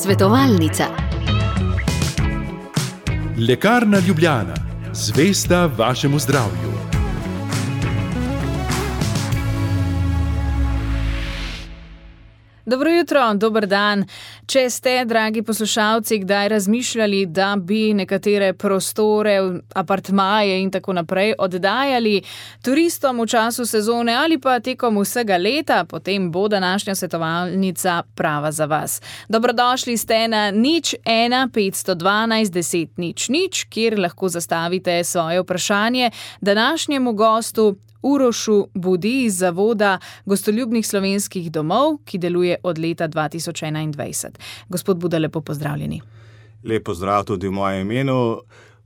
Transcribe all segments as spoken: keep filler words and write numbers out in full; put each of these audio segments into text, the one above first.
Svetovalnica. Lekarna Ljubljana, zvesta vašemu zdravju. Dobro jutro, dober dan. Če ste, dragi poslušalci, kdaj razmišljali, da bi nekatere prostore, apartmaje in tako naprej oddajali turistom v času sezone ali pa tekom vsega leta, potem bo današnja svetovalnica prava za vas. Dobrodošli ste na nič ena petsto dvanajst deset nič nič, kjer lahko zastavite svoje vprašanje današnjemu gostu Urošu Budi iz Zavoda gostoljubnih slovenskih domov, ki deluje od leta dva tisoč enaindvajset. Gospod Buda, lepo pozdravljeni. Lep pozdrav tudi v mojem imenu.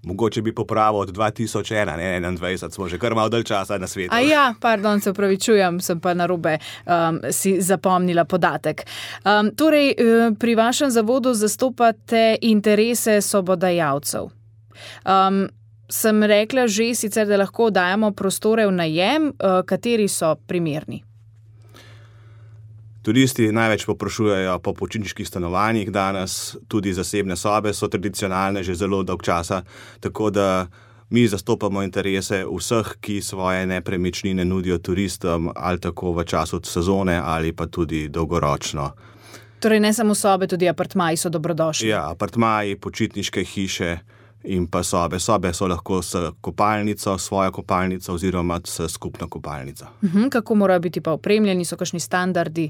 Mogoče bi popravil od dva tisoč ena, ne enaindvajset, smo že kar malo dalj časa na svetu. A ja, pardon, se upravičujem, sem pa narobe um, si zapomnila podatek. Um, torej, pri vašem zavodu zastopate interese sobodajalcev. Um, Sem rekla že sicer, da lahko dajemo prostore v najem, kateri so primerni? Turisti največ poprašujejo po počitniških stanovanjih danes, tudi zasebne sobe so tradicionalne že zelo dolg časa, tako da mi zastopamo interese vseh, ki svoje nepremičnine nudijo turistom ali tako v času sezone ali pa tudi dolgoročno. Torej ne samo sobe, tudi apartmaji so dobrodošli? Ja, apartmaji, počitniške hiše in pa sobe. Sobe so lahko s kopalnico, svojo kopalnico oziroma s skupno kopalnico. Uhum, kako morajo biti pa opremljeni, so kakšni standardi?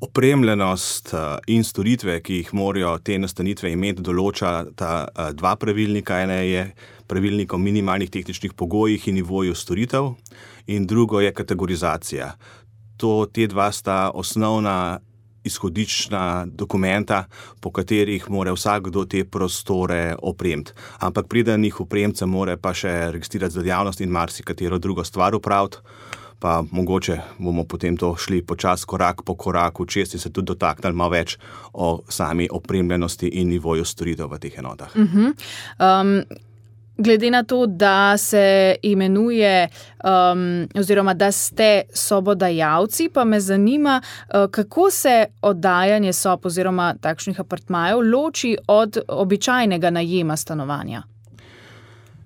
Opremljenost in storitve, ki jih morajo te nastanitve imeti, določa ta dva pravilnika. Ene je pravilnik o minimalnih tehničnih pogojih in nivoju storitev in drugo je kategorizacija. To, te dva sta osnovna izhodična dokumenta, po katerih mora vsakdo te prostore opremiti. Ampak preden jih opremca, mora pa še registrirati za dejavnost in marsikatero drugo stvar opraviti. Pa mogoče bomo potem to šli počas korak po koraku čez in se tudi dotaknili malo več o sami opremljenosti in nivoju storitev v teh enotah. Uh-huh. Um, glede na to, da se imenuje um, oziroma da ste sobodajalci, pa me zanima, uh, kako se oddajanje sob oziroma takšnih apartmajev loči od običajnega najema stanovanja?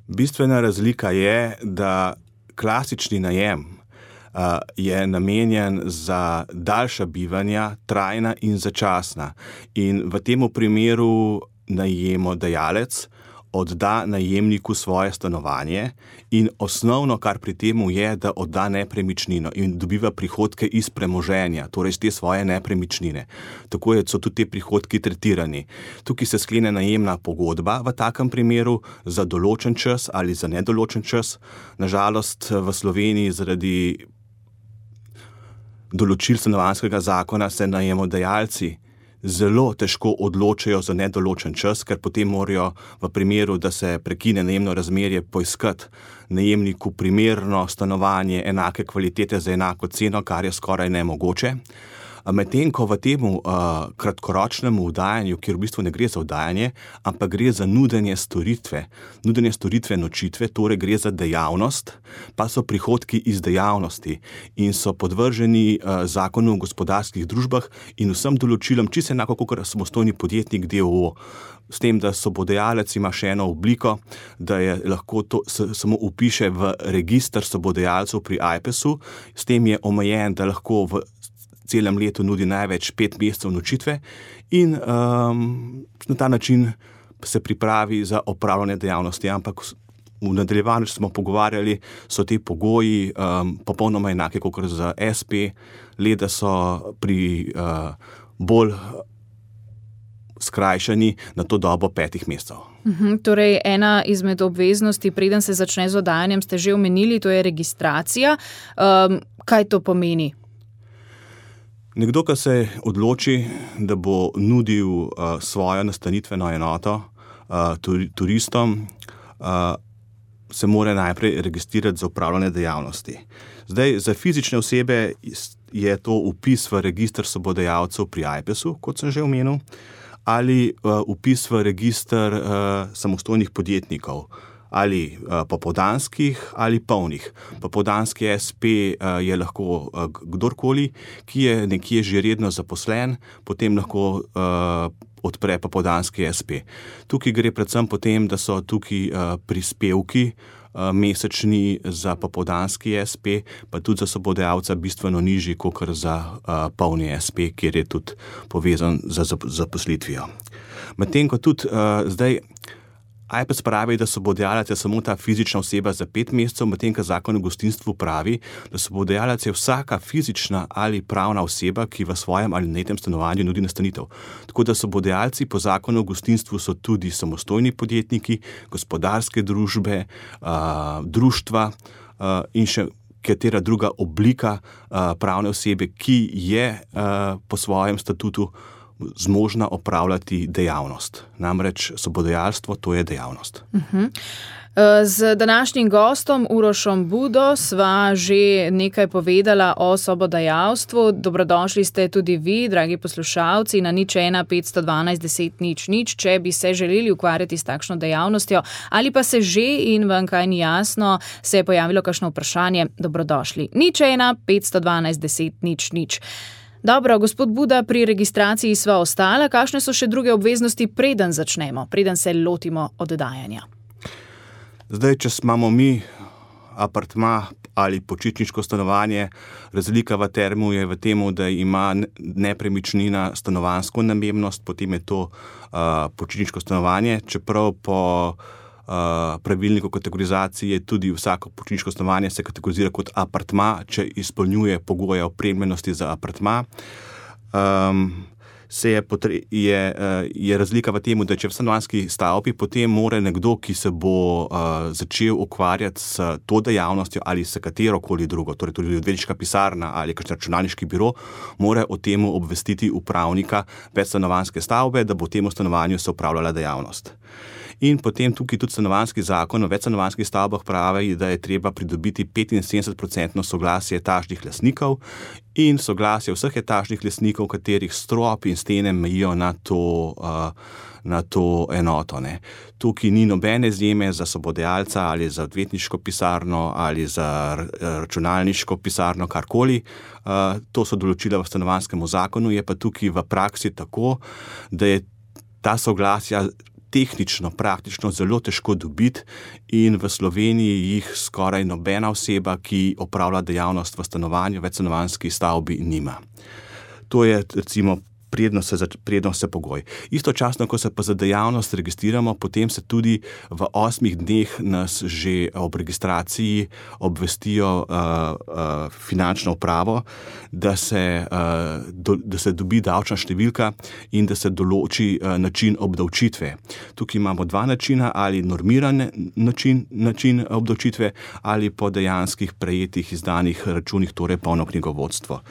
Bistvena razlika je, da klasični najem uh, je namenjen za daljša bivanja, trajna in začasna. In v tem primeru najemodajalec odda najemniku svoje stanovanje in osnovno, kar pri temu je, da odda nepremičnino in dobiva prihodke iz premoženja, torej iz te svoje nepremičnine. Tako so tudi te prihodki tretirani. Tukaj se sklene najemna pogodba v takem primeru za določen čas ali za nedoločen čas. Nažalost v Sloveniji zaradi določil stanovanjskega zakona se najemodajalci zelo težko odločajo za nedoločen čas, ker potem morajo v primeru, da se prekine najemno razmerje, poiskati najemniku primerno stanovanje enake kvalitete za enako ceno, kar je skoraj nemogoče. Medtem ko v temu uh, kratkoročnemu oddajanju, kjer v bistvu ne gre za oddajanje, ampak gre za nudenje storitve, nudenje storitve nočitve, torej gre za dejavnost, pa so prihodki iz dejavnosti in so podvrženi uh, zakonu o gospodarskih družbah in vsem določilom, čisto enako kot samostojni podjetnik D O O. S tem, da sobodajalec ima še eno obliko, da je lahko to s, samo upiše v register sobodajalcev pri Ajpesu, s tem je omejen, da lahko v celem letu nudi največ pet mesecev nočitve in um, na ta način se pripravi za opravljanje dejavnosti. Ampak v nadaljevanju smo pogovarjali, so te pogoji um, popolnoma enake kot za S P, le da so pri uh, bolj skrajšani na to dobo petih mesecev. Uhum, torej, ena izmed obveznosti, preden se začne z oddajanjem, ste že omenili, to je registracija. Um, kaj to pomeni? Nekdo, ki se odloči, da bo nudil uh, svojo nastanitveno enoto uh, tur, turistom, uh, se mora najprej registrirati za opravljanje dejavnosti. Zdaj, za fizične osebe je to vpis v register sobodajalcev pri Ajpesu, kot sem že omenil, ali uh, vpis v register uh, samostojnih podjetnikov ali uh, popoldanskih ali polnih. Popoldanski es pe uh, je lahko uh, kdorkoli, ki je nekje že redno zaposlen, potem lahko uh, odpre popoldanski es pe. Tukaj gre predvsem potem, da so tukaj uh, prispevki uh, mesečni za popoldanski es pe, pa tudi za sobodajalca bistveno nižji, kot za uh, polni es pe, kjer je tudi povezan za zaposlitvijo. Medtem ko tudi uh, zdaj Ajpes pravi, da sobodajalec je samo ta fizična oseba za pet mesecev, medtem ko zakon o gostinstvu pravi, da sobodajalec je vsaka fizična ali pravna oseba, ki v svojem ali najemnem stanovanju nudi nastanitev. Tako da sobodajalci po zakonu o gostinstvu so tudi samostojni podjetniki, gospodarske družbe, uh, društva uh, in še katera druga oblika uh, pravne osebe, ki je uh, po svojem statutu zmožna opravljati dejavnost. Namreč sobodajalstvo, to je dejavnost. Uh-huh. Z današnjim gostom Urošom Budo sva že nekaj povedala o sobodajalstvu. Dobrodošli ste tudi vi, dragi poslušalci, na nič ena petsto dvanajst deset nič nič, če bi se želeli ukvarjati s takšno dejavnostjo ali pa se že in vam kaj ni jasno, se je pojavilo kakšno vprašanje, dobrodošli. nič ena petsto dvanajst deset nič nič. Dobro, gospod Buda, pri registraciji sva ostala. Kakšne so še druge obveznosti, preden začnemo, preden se lotimo oddajanja? Zdaj, če imamo mi apartma ali počitniško stanovanje, razlika v termu je v tem, da ima nepremičnina stanovanjsko namembnost, potem je to uh, počitniško stanovanje, čeprav po Uh, pravilnik o kategorizaciji je tudi vsako počitniško stanovanje se kategorizira kot apartma, če izpolnjuje pogoje opremljenosti za apartma. Um, se je, potre, je, uh, je razlika v tem, da če v stanovanjski stavbi, potem mora nekdo, ki se bo uh, začel ukvarjati s to dejavnostjo ali s katerokoli drugo, torej tudi odvetniška pisarna ali kakšen računalniški biro, mora o tem obvestiti upravnika večstanovanjske stavbe, da bo v tem stanovanju se upravljala dejavnost. In potem tukaj tudi stanovanjski zakon o večstanovanjskih stavbah pravi, da je treba pridobiti petinsedemdeset procentno soglasje etažnih lastnikov in soglasje vseh etažnih lastnikov, katerih strop in stene mejijo na to, uh, na to enoto. Ne. Tukaj ni nobene izjeme za sobodajalca ali za odvetniško pisarno ali za računalniško pisarno, karkoli. Uh, to so določila v stanovanjskem zakonu, je pa tukaj v praksi tako, da je ta soglasja tehnično, praktično zelo težko dobiti in v Sloveniji jih skoraj nobena oseba, ki opravlja dejavnost v stanovanju, večstanovanjski stavbi, nima. To je recimo prednost se, prednost se pogoj. Istočasno, ko se pa za dejavnost registriramo, potem se tudi v osmih dneh nas že ob registraciji obvestijo uh, uh, finančno upravo, da se, uh, do, da se dobi davčna številka in da se določi uh, način obdavčitve. Tukaj imamo dva načina, ali normiran način, način obdavčitve ali po dejanskih prejetih izdanih računih, torej polno knjigovodstvo.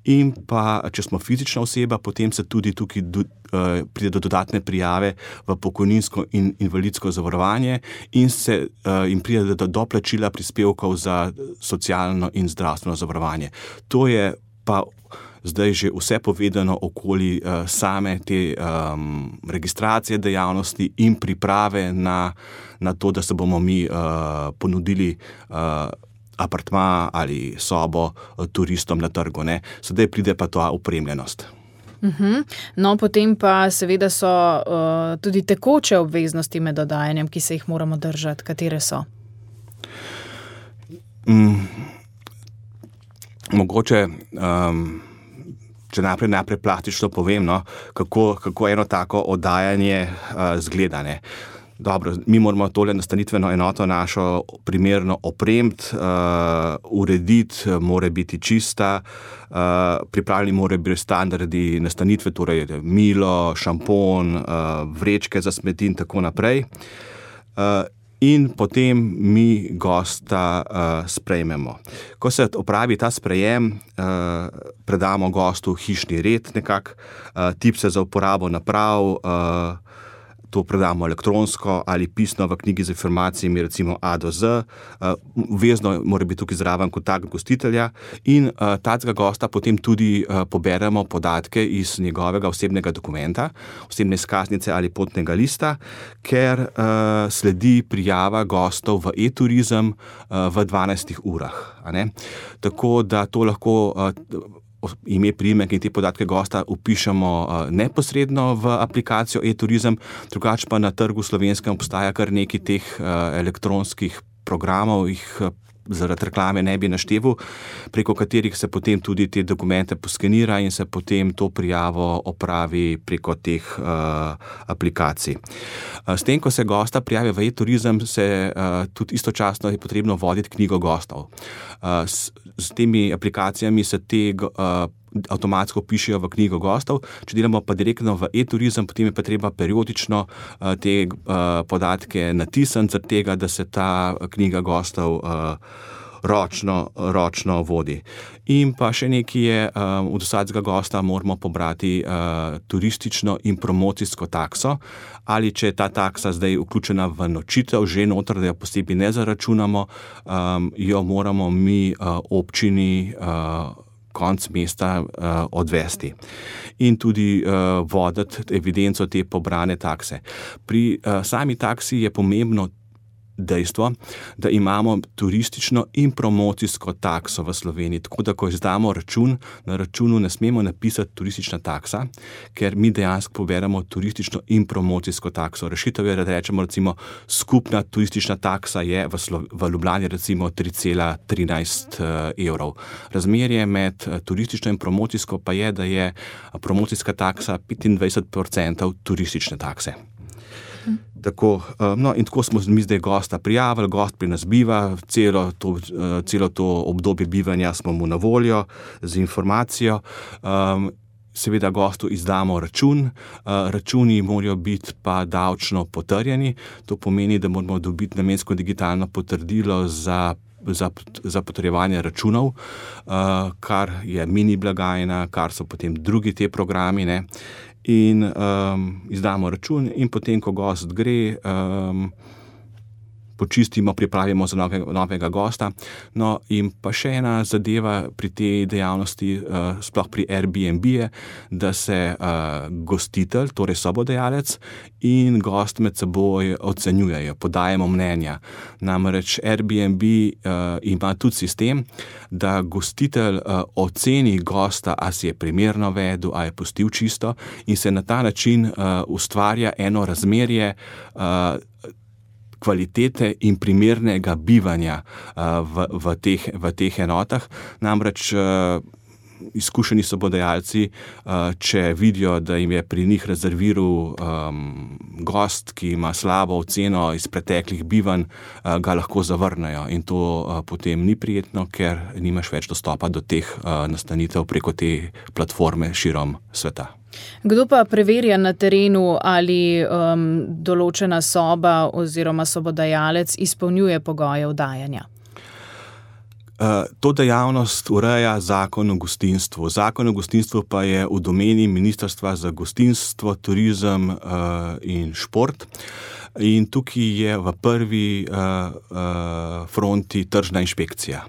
In pa, če smo fizična oseba, potem se tudi tukaj do, uh, pride do dodatne prijave v pokojninsko in invalidsko zavarovanje in, se, uh, in pride do doplačila prispevkov za socialno in zdravstveno zavarovanje. To je pa zdaj že vse povedano okoli uh, same te um, registracije dejavnosti in priprave na, na to, da se bomo mi uh, ponudili uh, apartma ali sobo turistom na trgu. Ne. Sedaj pride pa ta opremljenost. Uhum. No, potem pa seveda so uh, tudi tekoče obveznosti med oddajanjem, ki se jih moramo držati. Katere so? Mm, mogoče, um, če najprej, najprej plastično povem, no, kako, kako eno tako oddajanje uh, zgleda. Ne. Dobro, mi moramo tole nastanitveno enoto našo primerno opremiti, uh, urediti, mora biti čista, uh, pripravljeni mora biti standardi nastanitve, torej milo, šampon, uh, vrečke za smeti in tako naprej. Uh, in potem mi gosta uh, sprejmemo. Ko se opravi ta sprejem, uh, predamo gostu hišni red nekak, uh, tipse za uporabo naprav, uh, to predamo elektronsko ali pisno v knjigi z informacijami, recimo A do Z. Vezno mora biti tukaj zraven kontakt gostitelja in tacega gosta potem tudi poberemo podatke iz njegovega osebnega dokumenta, osebne izkaznice ali potnega lista, ker sledi prijava gostov v e-turizem v dvanajstih urah. A ne? Tako da to lahko ime, priimek in te podatke gosta vpišemo neposredno v aplikacijo e-turizem, drugače pa na trgu slovenskem obstaja kar nekaj teh elektronskih programov, jih zaradi reklame ne bi našteval, preko katerih se potem tudi te dokumente poskenira in se potem to prijavo opravi preko teh uh, aplikacij. Uh, s tem, ko se gosta prijavi v e-turizem, se uh, tudi istočasno je potrebno voditi knjigo gostov. Uh, s, s temi aplikacijami se te uh, avtomatsko pišejo v knjigo gostov. Če delamo pa direktno v e-turizem, potem je pa treba periodično uh, te uh, podatke natisniti, zaradi tega, da se ta knjiga gostov uh, ročno, ročno vodi. In pa še nekaj je, um, od vsakega gosta moramo pobrati uh, turistično in promocijsko takso, ali če je ta taksa zdaj vključena v nočitev, že noter, da jo posebej ne zaračunamo, um, jo moramo mi uh, občini uh, konc mesta uh, odvesti in tudi uh, voditi evidenco te pobrane takse. Pri uh, sami taksi je pomembno dejstvo, da imamo turistično in promocijsko takso v Sloveniji, tako da ko izdamo račun, na računu ne smemo napisati turistična taksa, ker mi dejansko poberemo turistično in promocijsko takso. Rešitev je, da rečemo recimo skupna turistična taksa je v, Slo- v Ljubljani recimo tri cela trinajst evrov. Razmerje med turistično in promocijsko pa je, da je promocijska taksa petindvajset procentov turistične takse. Tako, no, in tako smo mi zdaj gosta prijavili, gost pri nas biva, celo to, celo to obdobje bivanja smo mu na voljo z informacijo. Seveda gostu izdamo račun, računi morajo biti pa davčno potrjeni, to pomeni, da moramo dobiti namensko digitalno potrdilo za Za, za potrjevanje računov, uh, kar je mini blagajna, kar so potem drugi te programi, ne? In um, izdamo račun in potem, ko gost gre, um, počistimo, pripravimo za novega, novega gosta. No, in pa še ena zadeva pri tej dejavnosti, uh, sploh pri Airbnb je, da se uh, gostitelj, torej sobodajalec in gost med seboj ocenjujejo, podajemo mnenja. Namreč Airbnb uh, ima tudi sistem, da gostitelj uh, oceni gosta, a si je primerno vedel, a je pustil čisto in se na ta način uh, ustvarja eno razmerje uh, kvalitete in primernega bivanja uh, v, v, teh, v teh enotah. Namreč uh, izkušeni sobodajalci, uh, če vidijo, da jim je pri njih rezerviral um, gost, ki ima slabo oceno iz preteklih bivanj, uh, ga lahko zavrnejo in to uh, potem ni prijetno, ker nimaš več dostopa do teh uh, nastanitev preko te platforme širom sveta. Kdo pa preverja na terenu, ali um, določena soba oziroma sobodajalec izpolnjuje pogoje vdajanja? Uh, to dejavnost ureja zakon o gostinstvu. Zakon o gostinstvu pa je v domeni Ministrstva za gostinstvo, turizem uh, in šport. In tukaj je v prvi uh, uh, fronti tržna inšpekcija.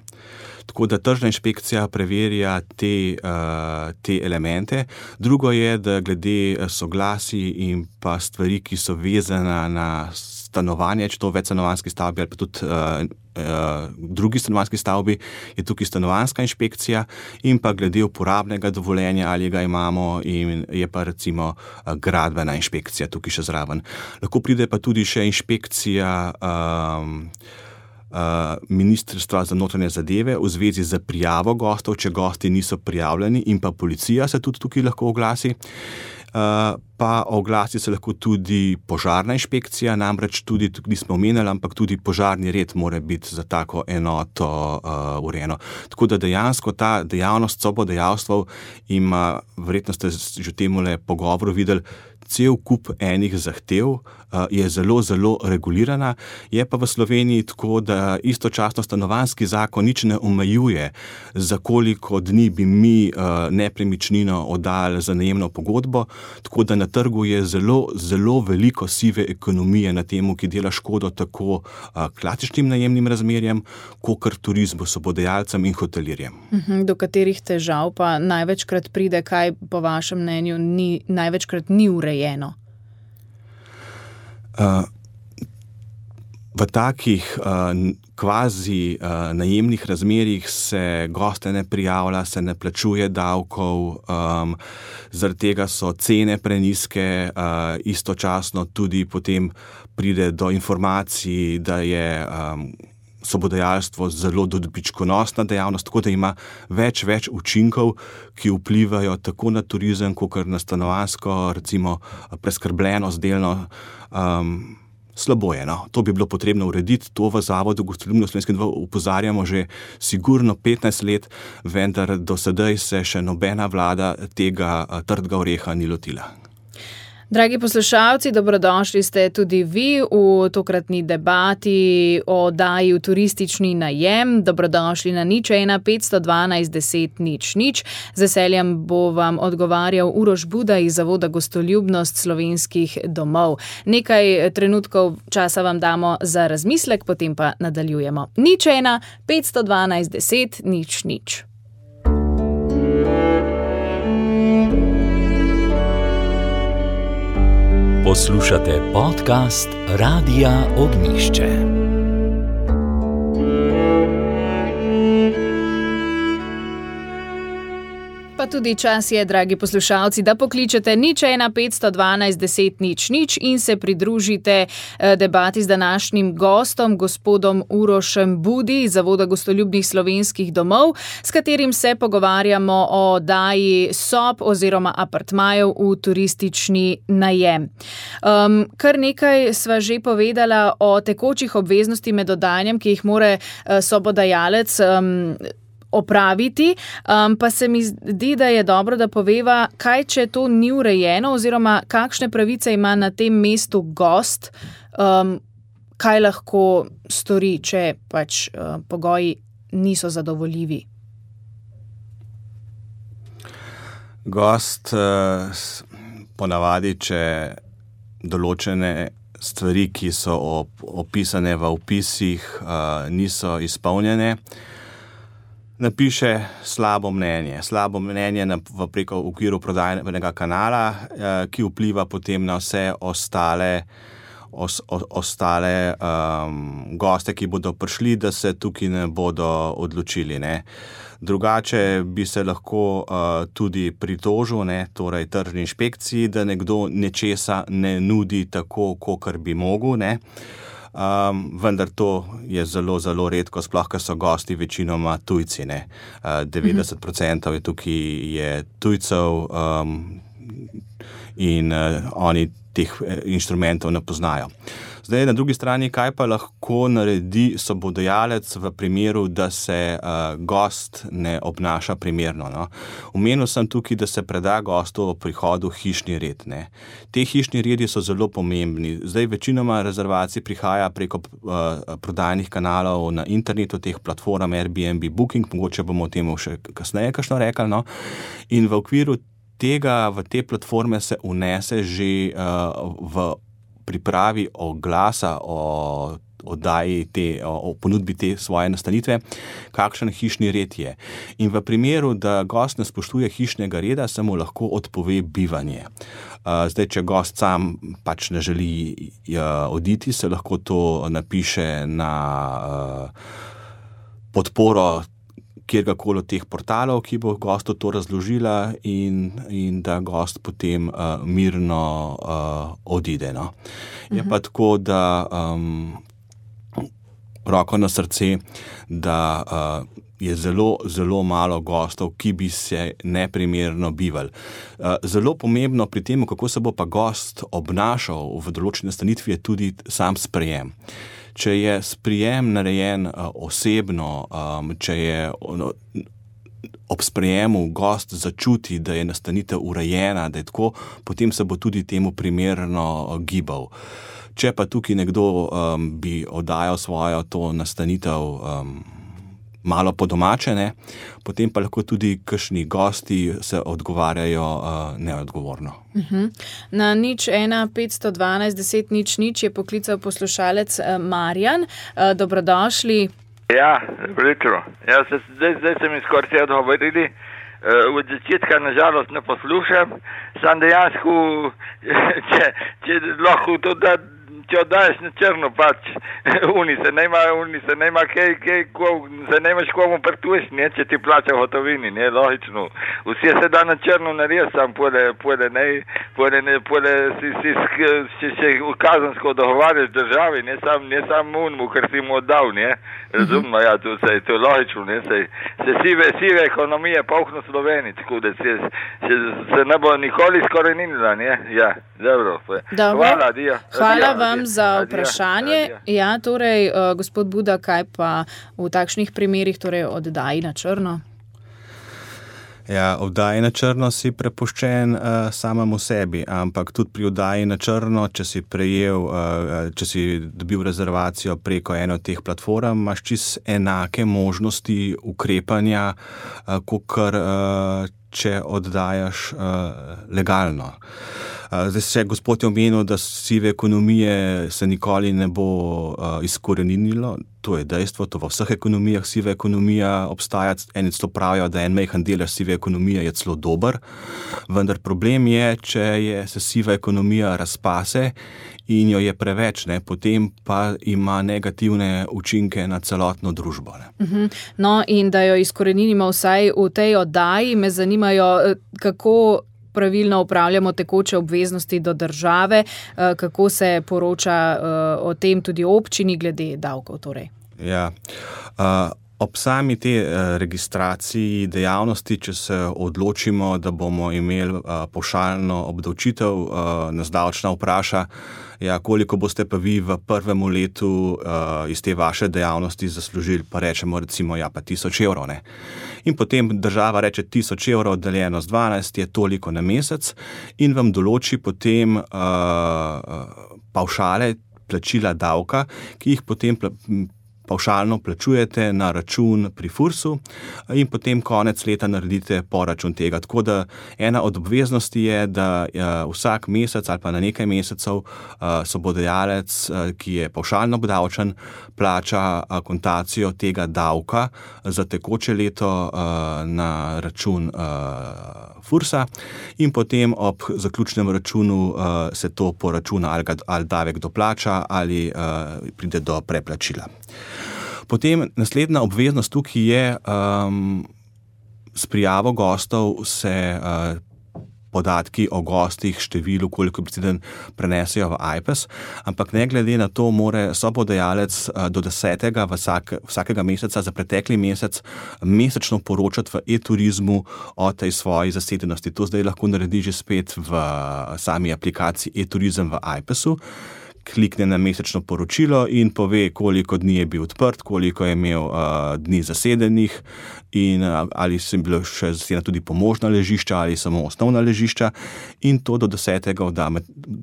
Tako da tržna inšpekcija preverja te, uh, te elemente. Drugo je, da glede soglasij in pa stvari, ki so vezane na stanovanje, če to večstanovanjski stavbi ali pa tudi uh, uh, drugi stanovanjski stavbi, je tukaj stanovanjska inšpekcija in pa glede uporabnega dovoljenja, ali ga imamo, in je pa recimo uh, gradbena inšpekcija tukaj še zraven. Lahko pride pa tudi še inšpekcija um, Uh, Ministrstva za notranje zadeve v zvezi z prijavo gostov, če gosti niso prijavljeni, in pa policija se tudi tukaj lahko oglasi. Uh, pa oglasi se lahko tudi požarna inšpekcija, namreč tudi, tudi nismo omenjali, ampak tudi požarni red mora biti za tako enoto uh, urejeno. Tako da dejansko ta dejavnost sobodajalstev ima, verjetno ste že v temule pogovoru videli, cel kup enih zahtev, je zelo, zelo regulirana. Je pa v Sloveniji tako, da istočasno stanovanjski zakon nič ne omejuje, za koliko dni bi mi nepremičnino oddali za najemno pogodbo, tako da na trgu je zelo, zelo veliko sive ekonomije na temu, ki dela škodo tako klasičnim najemnim razmerjem, kakor turizmu, sobodajalcem in hotelirjem. Do katerih težav pa največkrat pride, kaj po vašem mnenju ni, največkrat ni urejeno? Uh, v takih uh, kvazi uh, najemnih razmerjih se goste ne prijavlja, se ne plačuje davkov, um, zaradi tega so cene prenizke, uh, istočasno tudi potem pride do informacij, da je um, sobodajalstvo zelo dobičkonosna dejavnost, tako da ima več, več učinkov, ki vplivajo tako na turizem, kot na stanovanjsko, recimo preskrbljenost delno. Um, slabo je, no. To bi bilo potrebno urediti, to v Zavodu Gostoljubno Slovenske dvorane opozarjamo že sigurno petnajst let, vendar do sedaj se še nobena vlada tega trdega oreha ni lotila. Dragi poslušalci, dobrodošli ste tudi vi v tokratni debati o oddaji v turistični najem. Dobrodošli na nič ena petsto dvanajst deset nič nič. Z veseljem bo vam odgovarjal Uroš Buda iz Zavoda Gostoljubnost slovenskih domov. Nekaj trenutkov časa vam damo za razmislek, potem pa nadaljujemo. nič ena petsto dvanajst deset nič nič. Poslušate podcast Radia Ognjišče. Pa tudi čas je, dragi poslušalci, da pokličete nič ena petsto dvanajst deset nič nič in se pridružite debati z današnjim gostom, gospodom Urošem Budi iz Zavoda Gostoljubnih slovenskih domov, s katerim se pogovarjamo o oddaji sob oziroma apartmajev v turistični najem. Um, kar nekaj sva že povedala o tekočih obveznosti med oddajanjem, ki jih more sobodajalec um, opraviti, um, pa se mi zdi, da je dobro, da poveva, kaj če to ni urejeno oziroma kakšne pravice ima na tem mestu gost, um, kaj lahko stori, če pač uh, pogoji niso zadovoljivi. Gost uh, ponavadi, če določene stvari, ki so op- opisane v opisih, uh, niso izpolnjene, napiše slabo mnenje. Slabo mnenje na, v preko v okviru prodajnega kanala, eh, ki vpliva potem na vse ostale, os, o, ostale um, goste, ki bodo prišli, da se tukaj ne bodo odločili. Ne. Drugače bi se lahko uh, tudi pritožil, ne, torej tržni inšpekciji, da nekdo nečesa ne nudi tako, kakor bi mogel, ne. Um, vendar to je zelo, zelo redko, sploh, ker so gosti večinoma tujci, ne. Uh, devetdeset procentov je tukaj je tujcev um, in uh, oni teh inštrumentov ne poznajo. Zdaj, na drugi strani, kaj pa lahko naredi sobodajalec v primeru, da se uh, gost ne obnaša primerno, no? Omenil sem tukaj, da se preda gostu v prihodu hišni red, ne. Te hišni redi so zelo pomembni. Zdaj, večinoma rezervacij prihaja preko uh, prodajnih kanalov na internetu, teh platform Airbnb, Booking, mogoče bomo o tem še kasneje kakšno rekli, no. In v okviru tega, v te platforme se unese že uh, v pripravi oglasa o oddaji te, o ponudbi te svoje nastanitve, kakšen hišni red je. In v primeru, da gost ne spoštuje hišnega reda, se mu lahko odpove bivanje. Zdaj, če gost sam pač ne želi oditi, se lahko to napiše na podporo kjerkoli od teh portalov, ki bo gostu to razložila in, in da gost potem uh, mirno uh, odide. No. Je uh-huh. pa tako, da um, roko na srce, da uh, je zelo, zelo malo gostov, ki bi se neprimerno bivali. Uh, zelo pomembno pri tem, kako se bo pa gost obnašal v določeni nastanitvi, je tudi sam sprejem. Če je sprijem narejen uh, osebno, um, če je ono, ob sprejemu gost začuti, da je nastanitev urejena, da je tako, potem se bo tudi temu primerno gibal. Če pa tukaj nekdo um, bi oddajal svojo to nastanitev um, malo po domače, ne, potem pa lahko tudi kakšni gosti se odgovarjajo uh, neodgovorno. Uh-huh. Na nič ena petsto dvanajst deset nič nič je poklical poslušalec uh, Marjan. Uh, dobrodošli. Ja, dobro jutro. Ja, se, zdaj, zdaj se mi skoraj vse odgovorili. Uh, od začetka nažalost ne poslušam. Sam dejansko, če, če lahko to da, če oddaješ na črno, pač uni se nema, uni se nema, kaj, kaj, ko, se nemaš komu prtuješ, ne, če ti plača v hotovini, ne, logično. Vsi se da na črno narediti, sam pole, pole, ne, pole, ne, pole, si, si, si se kazansko dogovarjaš državi, ne, sam, ne, sam unmu, ker si mu oddal, ne, razumno, ja, to se, to je logično, ne, se, se sive, sive ekonomije polkno Sloveniji, tako da se, se, se ne bo nikoli skorenila, ne, ja, dobro. Dobro. Hvala, dio. Hvala adio, vam adio, za adio, vprašanje. adio. Ja, torej, uh, gospod Buda, kaj pa v takšnih primerih, torej oddaji na črno? Ja, oddaji na črno si prepuščen uh, samemu sebi, ampak tudi pri oddaji na črno, če si prejel, uh, če si dobil rezervacijo preko ene od teh platform, imaš čist enake možnosti ukrepanja, uh, kakor uh, če oddajaš uh, legalno. Zdaj se gospod je omenil, da sive ekonomije se nikoli ne bo uh, izkoreninilo. To je dejstvo, to v vseh ekonomijah siva ekonomija obstaja. Eni celo pravijo, da en majhen delež sive ekonomije je celo dober, vendar problem je, če je, se siva ekonomija razpase in jo je preveč, ne, potem pa ima negativne učinke na celotno družbo. Ne. Uh-huh. No, in da jo izkoreninimo vsaj v tej oddaji, me zanimajo, kako pravilno upravljamo tekoče obveznosti do države, kako se poroča o tem tudi občini glede davkov. Torej. Ja, uh, ob sami te uh, registraciji dejavnosti, če se odločimo, da bomo imeli uh, pavšalno obdavčitev, uh, nas davčna vpraša, ja, koliko boste pa vi v prvem letu uh, iz te vaše dejavnosti zaslužili, pa rečemo recimo, ja, pa tisoč evrov, ne. In potem država reče tisoč evrov deljeno z dvanajst je toliko na mesec in vam določi potem uh, pavšale plačila davka, ki jih potem pla- pavšalno plačujete na račun pri Fursu in potem konec leta naredite poračun tega. Tako da ena od obveznosti je, da vsak mesec ali pa na nekaj mesecev sobodajalec, ki je pavšalno obdavčen, plača akontacijo tega davka za tekoče leto na račun Fursa in potem ob zaključnem računu se to poračuna ali, ali davek doplača ali pride do preplačila. Potem naslednja obveznost tukaj je, um, s prijavo gostov se uh, podatki o gostih, številu, koliko priciden prenesejo v I P E S, ampak ne glede na to, mora sobodajalec uh, do desetega vsak, vsakega meseca za pretekli mesec mesečno poročati v e-turizmu o tej svoji zasedenosti. To zdaj lahko naredi že spet v uh, sami aplikaciji e-turizem v I P E S-u. Klikne na mesečno poročilo in pove, koliko dni je bil odprt, koliko je imel uh, dni zasedenih in uh, ali so bilo še zasedena tudi pomožna ležišča ali samo osnovna ležišča in to do desetega odda.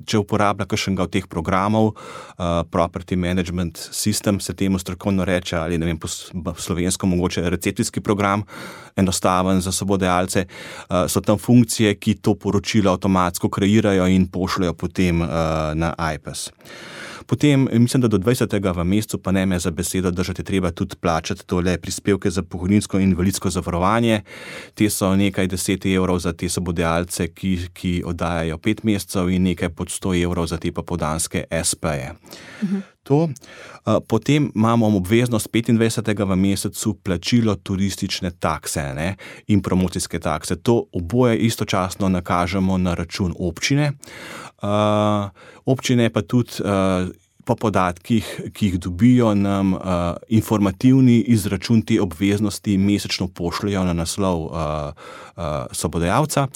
Če uporablja kakšnega od teh programov, uh, Property Management System se temu strokovno reče ali ne vem, po slovensko mogoče recepcijski program, enostaven za sobodajalce, uh, so tam funkcije, ki to poročilo avtomatsko kreirajo in pošljajo potem uh, na I P E S. Potem, mislim, da do dvajsetega v mesecu, pa ne me za besedo držati, treba tudi plačati tole prispevke za pokojninsko in invalidsko zavarovanje. Te so nekaj deset evrov za te sobodajalce, ki, ki oddajajo pet mesecev in nekaj pod sto evrov za te popoldanske es pe-je. Mhm. To. Potem imamo obveznost petindvajsetega v mesecu plačilo turistične takse, ne, in promocijske takse. To oboje istočasno nakažemo na račun občine. Uh, občine pa tudi uh, po podatkih, ki jih dobijo, nam uh, informativni izračun te obveznosti mesečno pošljajo na naslov uh, uh, sobodajalca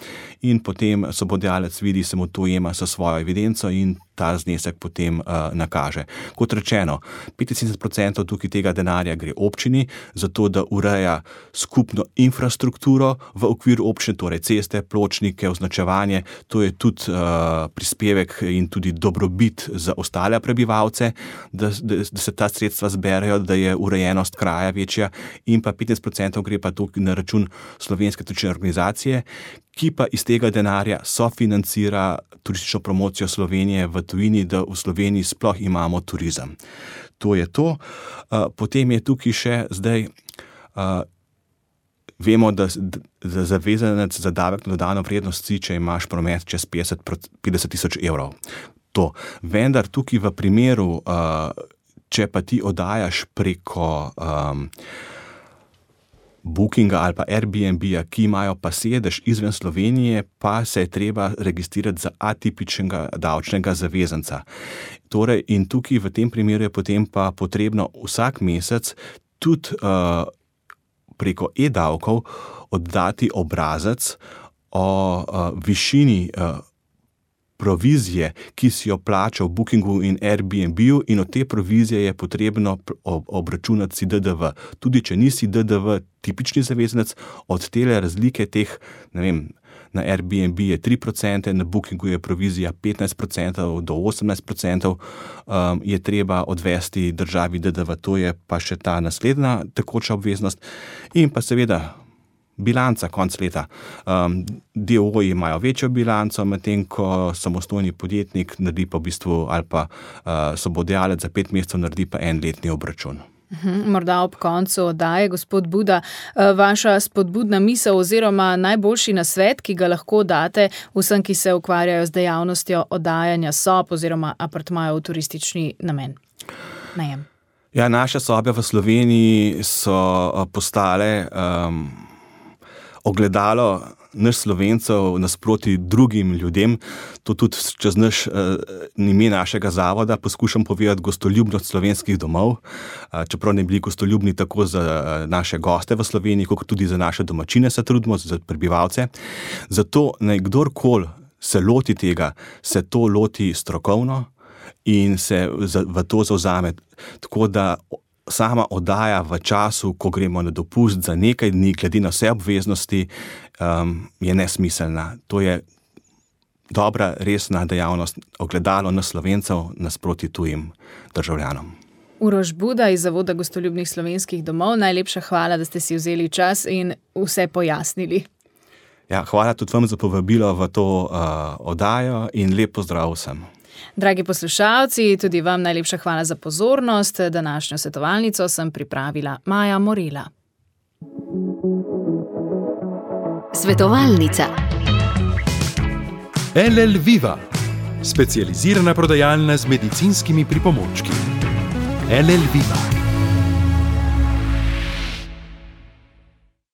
in potem sobodajalec vidi, se mu to jema sa svojo evidenco in ta znesek potem uh, nakaže. Kot rečeno, petinsedemdeset procentov tukaj tega denarja gre občini, zato da ureja skupno infrastrukturo v okviru občine, torej ceste, pločnike, označevanje. To je tudi uh, prispevek in tudi dobrobit za ostale prebivalce, da, da, da se ta sredstva zberejo, da je urejenost kraja večja, in pa petnajst procentov gre pa tukaj na račun Slovenske turistične organizacije, ki pa iz tega denarja sofinancira turistično promocijo Slovenije v tujini, da v Sloveniji sploh imamo turizem. To je to. Potem je tukaj še zdaj, vemo, da, da zavezanec za davek na dodano vrednost si, če imaš promet čez petdeset tisoč evrov. To. Vendar tukaj v primeru, če pa ti oddajaš preko um, Bookinga ali pa Airbnb-ja, ki imajo pa sedež izven Slovenije, pa se je treba registrirati za atipičnega davčnega zavezanca. Torej, in tukaj v tem primeru je potem pa potrebno vsak mesec tudi uh, preko e-davkov oddati obrazec o uh, višini uh, provizije, ki si jo plača v Bookingu in Airbnb-ju, in od te provizije je potrebno obračunati si D D V. Tudi če nisi D D V tipični zavezanec, od tele razlike teh, ne vem, na Airbnb je tri procente, na Bookingu je provizija petnajst procentov do osemnajst procentov, um, je treba odvesti državi D D V. To je pa še ta naslednja tekoča obveznost. In pa seveda bilanca konc leta. Um, D O O-ji imajo večjo bilanco, medtem ko samostojni podjetnik naredi pa v bistvu, ali pa uh, sobodajalec za pet mesecev naredi pa en letni obračun. Morda ob koncu oddaje, gospod Buda, vaša spodbudna misel oziroma najboljši nasvet, ki ga lahko date vsem, ki se ukvarjajo z dejavnostjo oddajanja sob oziroma apartmajev v turistični namen. Najem. Ja, naše sobe v Sloveniji so postale um, ogledalo naš Slovencev nasproti drugim ljudem. To tudi čez naš uh, ime našega zavoda poskušam povedati gostoljubnost slovenskih domov, uh, čeprav ne bili gostoljubni tako za uh, naše goste v Sloveniji, kot tudi za naše domačine se trudimo, za prebivalce. Zato naj kdorkoli se loti tega, se to loti strokovno in se za, v to zavzame. Tako da sama oddaja v času, ko gremo na dopust za nekaj dni, glede na vse obveznosti, um, je nesmiselna. To je dobra, resna dejavnost, ogledalo na Slovencev nasproti tujim državljanom. Uroš Buda iz Zavoda gostoljubnih slovenskih domov, najlepša hvala, da ste si vzeli čas in vse pojasnili. Ja, hvala tudi vam za povabilo v to uh, oddajo in lep pozdrav vsem. Dragi poslušalci, tudi vam najlepša hvala za pozornost. Današnjo svetovalnico sem pripravila Maja Morela. Svetovalnica. L L Viva, specializirana prodajalna z medicinskimi pripomočki. L L Viva.